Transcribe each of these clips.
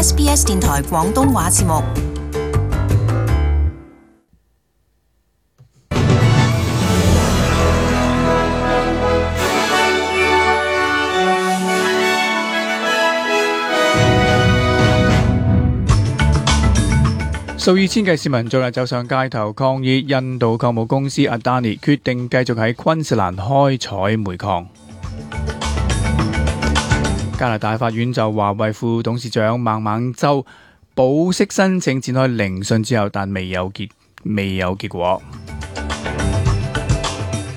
SBS 電台廣東話節目。數以千計市民昨日走上街頭抗議印度礦務公司 Adani 決定繼續喺昆士蘭開採煤礦。加拿大法院就華為副董事長孟晚舟保釋申請展開聆訊之後，但未有結果。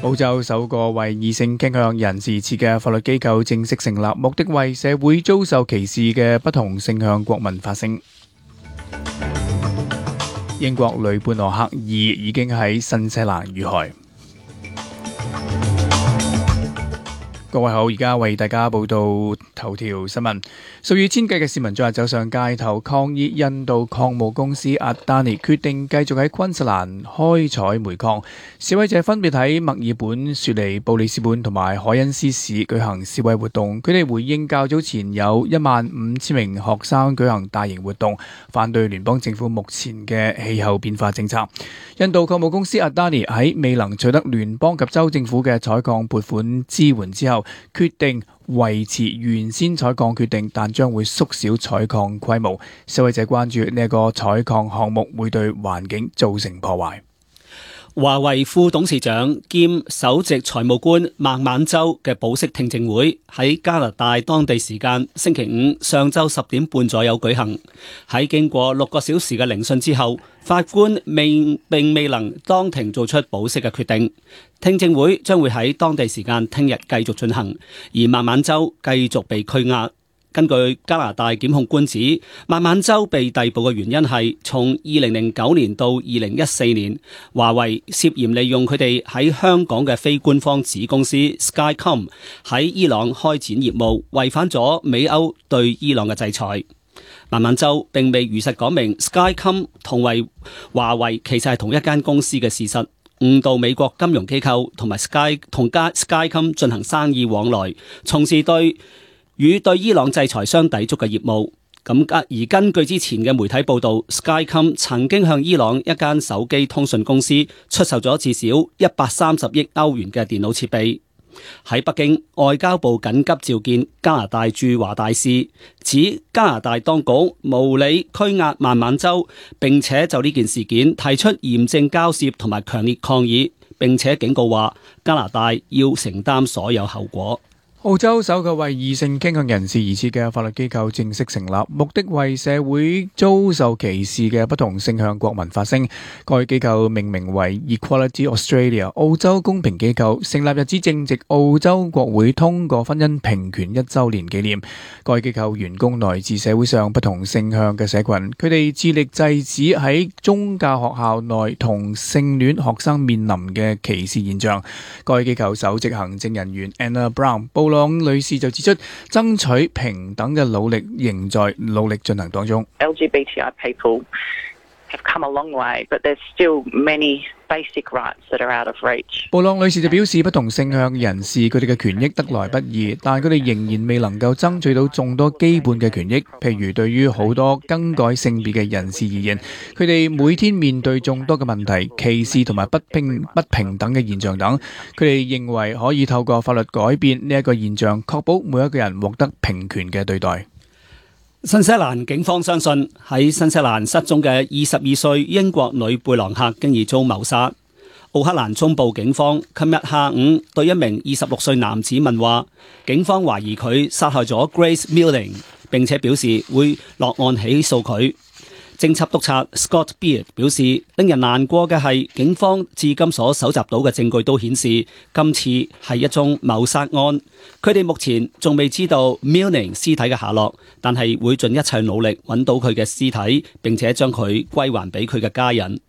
澳洲首個為異性傾向人士設嘅法律機構正式成立，目的為社會遭受歧視嘅不同性向國民發聲。英國雷貝諾克2已經喺新西蘭遇害。各位好，而家為大家報道頭條新聞。數以千計嘅市民昨日走上街頭抗議印度礦務公司 Adani 決定繼續喺昆士蘭開採煤礦。示威者分別喺墨爾本、雪梨、布里斯本同埋凱恩斯市舉行示威活動。佢哋回應較早前有15000名學生舉行大型活動，反對聯邦政府目前嘅氣候變化政策。印度礦務公司 Adani 喺未能取得聯邦及州政府嘅採礦撥款支援之後，決定維持原先採礦決定，但將會縮小採礦規模。示威者關注呢一個採礦項目會對環境造成破壞。華為副董事長兼首席財務官孟晚舟嘅保釋聽證會喺加拿大當地時間星期五上晝10點半左右舉行。喺經過6個小時嘅聆訊之後，法官並未能當庭做出保釋嘅決定。聽證會將會喺當地時間聽日繼續進行，而孟晚舟繼續被拘押。根據加拿大檢控官指，孟晚舟被逮捕嘅原因係從2009年到2014年，華為涉嫌利用佢哋喺香港嘅非官方子公司 Skycom 喺伊朗開展業務，違反咗美歐對伊朗嘅制裁。孟晚舟並未如實講明 Skycom 同華為其實係同一間公司嘅事實，誤導美國金融機構同埋 Skycom 進行生意往來，從事與對伊朗制裁相抵觸嘅業務。而根據之前嘅媒體報道， Skycom 曾經向伊朗一間手機通訊公司出售咗至少130億歐元嘅電腦設備。喺北京，外交部緊急召見加拿大駐華大使，指加拿大當局無理拘押孟晚舟，並且就呢件事件提出嚴正交涉同埋強烈抗議，並且警告話加拿大要承擔所有後果。澳洲首個為異性傾向人士而設嘅法律機構正式成立，目的為社會遭受歧視嘅不同性向國民發聲。該機構命名為 Equality Australia， 澳洲公平機構，成立日子正值澳洲國會通過婚姻平權1週年紀念。該機構員工來自社會上不同性向嘅社群，佢哋致力制止喺宗教學校內同性戀學生面臨嘅歧視現象。該機構首席行政人員 Anna Brown 布朗女士就指出，爭取平等嘅努力仍在努力進行當中。LGBTI people have come a long way, but there's still many basic rights that are out of reach. 布朗女士就表示，不同性向人士佢哋嘅權益得來不易，但佢哋仍然未能夠爭取到眾多基本嘅權益。譬如對於好多更改性別嘅人士而言，佢哋每天面對眾多嘅問題、歧視同埋不平等嘅現象等。佢哋認為可以透過法律改變呢一個現象，確保每一個人獲得平權嘅對待。新西蘭警方相信喺新西蘭失蹤嘅22歲英國女貝朗克經已遭謀殺。奧克蘭中部警方琴日下午對一名26歲男子問話，警方懷疑佢殺害咗 Grace Milling， 並且表示會落案起訴佢。偵緝督察 Scott Beard 表示，令人難過嘅係警方至今所搜集到嘅證據都顯示今次係一宗謀殺案。佢哋目前仲未知道 Milling 屍體嘅下落，但係會盡一切努力揾到佢嘅屍體，並且將佢歸還俾佢嘅家人。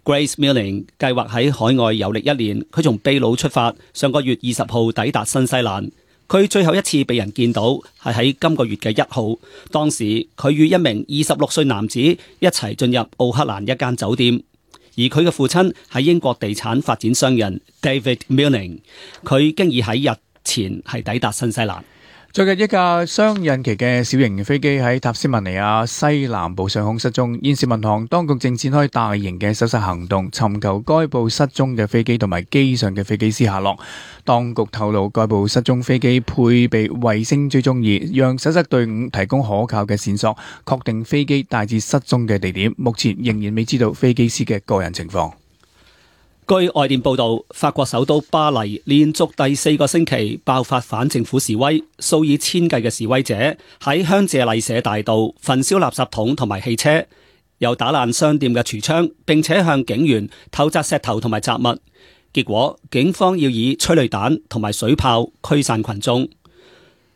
Grace Milling 計劃喺海外遊歷1年，佢從秘魯出發，上個月20號抵達新西蘭。佢最後一次被人見到係喺今個月嘅1號，當時佢與一名26歲男子一齊進入奧克蘭一間酒店，而佢嘅父親係英國地產發展商人 David Milling， 佢經已喺日前係抵達新西蘭。最近一架雙引擎嘅小型飛機喺塔斯曼尼亞西南部上空失蹤，現時民航當局正展開大型嘅搜索行動，尋求該部失蹤嘅飛機同埋機上嘅飛機師下落。當局透露，該部失蹤飛機配備衛星追蹤儀，讓搜索隊伍提供可靠嘅線索，確定飛機大致失蹤嘅地點。目前仍然未知道飛機師嘅個人情況。據外電報道，法國首都巴黎連續第4個星期爆發反政府示威，數以千計嘅示威者喺香榭麗舍大道焚燒垃圾桶同埋汽車，又打爛商店嘅櫥窗，並且向警員投擲石頭同埋雜物。結果警方要以催淚彈同埋水炮驅散群眾。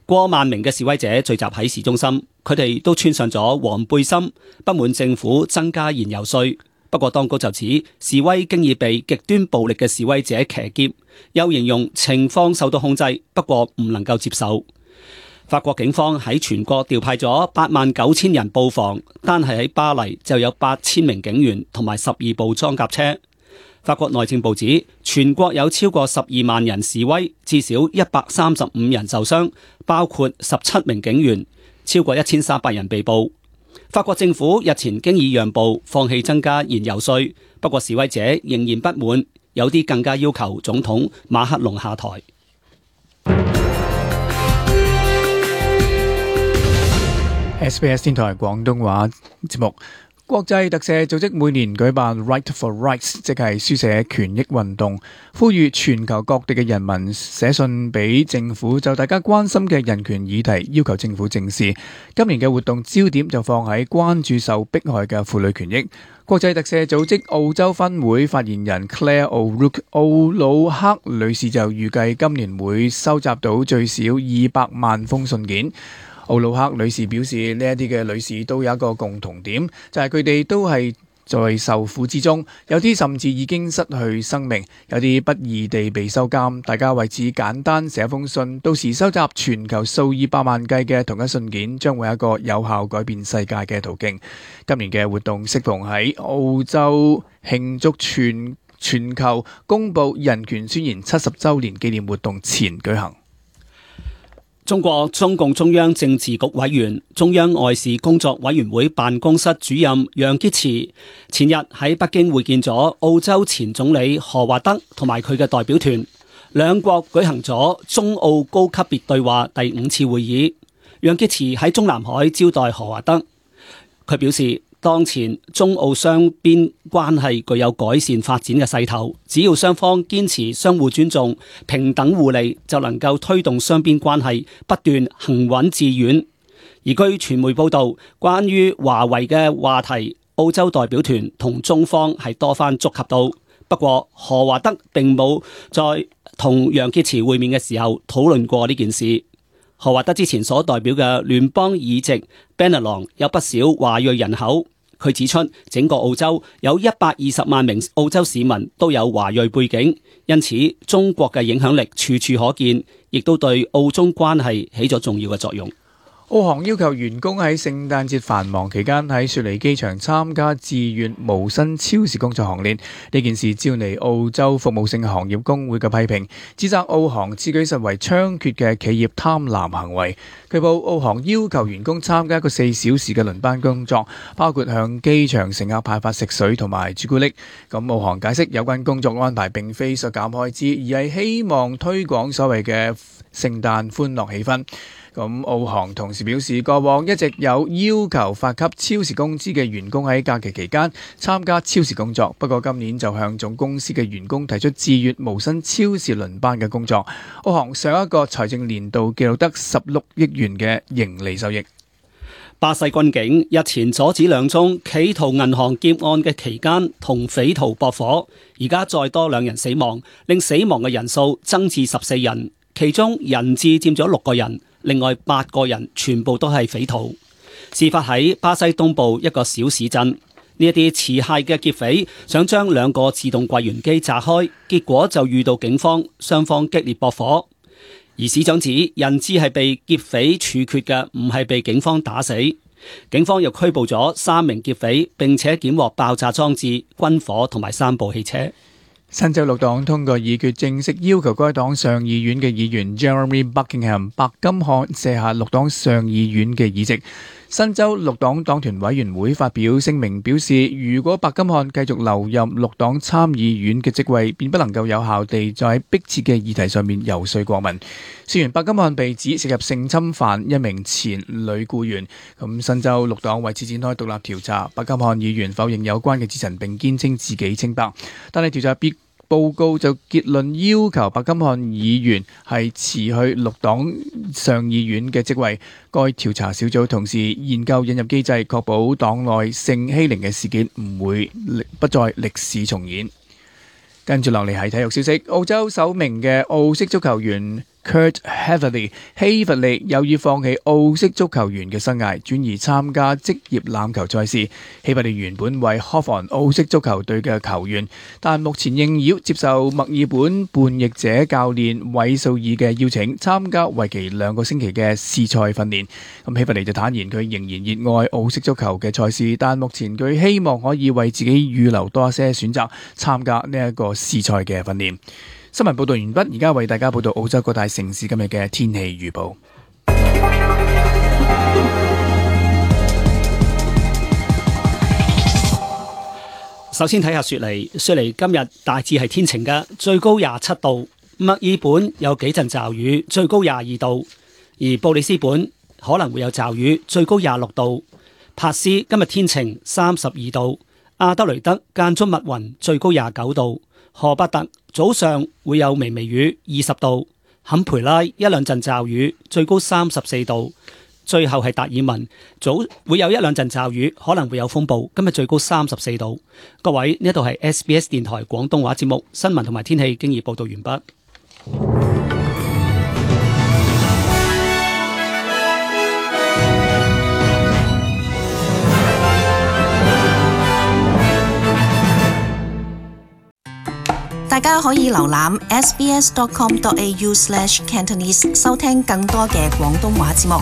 過萬名嘅示威者聚集喺市中心，佢哋都穿上咗黃背心，不滿政府增加燃油稅。不過當局就指示威經已被極端暴力嘅示威者騎劫，又形容情況受到控制，不過唔能夠接受。法國警方喺全國調派咗89000人布防，單係喺巴黎就有8000名警員同埋12部裝甲車。法國內政部指全國有超過12萬人示威，至少135人受傷，包括17名警員，超過1300人被捕。法國政府日前經已讓步，放棄增加燃油稅，不過示威者仍然不滿，有啲更加要求總統馬克龍下台。SBS 天台廣東話節目。國際特赦組織每年舉辦 Right for Rights， 即係書寫權益運動，呼籲全球各地嘅人民寫信俾政府，就大家關心嘅人權議題，要求政府正視。今年嘅活動焦點就放喺關注受迫害嘅婦女權益。國際特赦組織澳洲分會發言人 Claire O'Rourke 奧魯克女士就預計今年會收集到最少200萬封信件。奧魯克女士表示，呢一啲嘅女士都有一個共同點，就係佢哋都係在受苦之中，有啲甚至已經失去生命，有啲不義地被收監。大家為此簡單寫封信，到時收集全球數以百萬計嘅同一信件，將會係一個有效改變世界嘅途徑。今年嘅活動適逢喺澳洲慶祝全球公布人權宣言70週年紀念活動前舉行。中國中共中央政治局委員、中央外事工作委員會辦公室主任楊潔篪前日喺北京會見咗澳洲前總理何華德同埋佢嘅代表團，兩國舉行咗中澳高級別對話第5次會議。楊潔篪喺中南海招待何華德，佢表示，當前中澳雙邊關係具有改善發展嘅勢頭，只要雙方堅持相互尊重、平等互利，就能夠推動雙邊關係不斷行穩致遠。而據傳媒報道，關於華為嘅話題，澳洲代表團同中方係多番觸及到，不過何華德並冇在同楊潔篪會面嘅時候討論過呢件事。何華德之前所代表嘅聯邦議席 Bennelong 有不少華裔人口，佢指出整個澳洲有120萬名澳洲市民都有華裔背景，因此中國嘅影響力處處可見，亦都對澳中關係起咗重要嘅作用。澳航要求員工喺聖誕節繁忙期間喺雪梨機場參加自願無薪超時工作行列，呢件事招嚟澳洲服務性行業工會嘅批評，指責澳航此舉實為猖獗嘅企業貪婪行為。據報澳航要求員工參加一個4小時嘅輪班工作，包括向機場乘客派發食水同埋朱古力。咁澳航解釋有關工作安排並非削減開支，而係希望推廣所謂嘅聖誕歡樂氣氛。咁澳航同時表示，過往一直有要求發給超時工資嘅員工喺假期期間參加超時工作，不過今年就向總公司嘅員工提出自願無薪超時輪班嘅工作。澳航上一個財政年度記錄得16億元嘅盈利收益。巴西軍警日前阻止2宗企圖銀行劫案嘅期間同匪徒駁火，而家再多2人死亡，令死亡嘅人數增至14人，其中人質佔咗6個人。另外8個人全部都係匪徒。事發喺巴西東部一個小市鎮，呢一啲持械嘅劫匪想將2個自動櫃員機炸開，結果就遇到警方，雙方激烈駁火。而市長指人質係被劫匪處決嘅，唔係被警方打死。警方又拘捕咗3名劫匪，並且檢獲爆炸裝置、軍火同埋3部汽車。新州六黨通過議決，正式要求該黨上議院嘅議員 Jeremy Buckingham 白金漢卸下六黨上議院嘅議席。新州六黨黨團委員會發表聲明表示，如果白金漢繼續留任六黨參議院嘅職位，便不能夠有效地在迫切嘅議題上面遊說國民。雖然白金漢被指涉入性侵犯一名前女僱員，咁新州六黨為此展開獨立調查。白金漢議員否認有關嘅指陳，並堅稱自己清白，但係調查報告就結論要求白金漢議員係辭去六黨上議院嘅職位。該調查小組同時研究引入機制，確保黨內性欺凌嘅事件不再歷史重演。跟住落嚟係體育消息，澳洲首名嘅澳式足球員Kurt Heaverley 希弗利有意放棄澳式足球員嘅生涯，轉而參加職業欖球賽事。希弗利原本為 Hawthorn 澳式足球隊嘅球員，但目前應邀接受墨爾本叛逆者教練韋素爾嘅邀請，參加為期2個星期嘅試賽訓練。咁希弗利就坦言佢仍然熱愛澳式足球嘅賽事，但目前佢希望可以為自己預留多一些選擇，參加呢一個試賽嘅訓練。新聞報道完畢，而家為大家報道澳洲各大城市今日嘅天氣預報。首先睇下雪梨，雪梨今日大致係天晴嘅，最高27度。墨爾本有幾陣驟雨，最高22度。而布里斯本可能會有驟雨，最高26度。珀斯今日天晴，32度。阿德雷德間中密雲，最高29度。荷伯特早上會有微雨，20度。坎培拉一兩陣驟雨，最高34度。最後係達爾文，早會有一兩陣驟雨，可能會有風暴。今日最高34度。各位，呢度係 SBS 電台廣東話節目新聞同埋天氣經已報道完畢。大家可以瀏覽 sbs.com.au/cantonese 收聽更多嘅廣東話節目。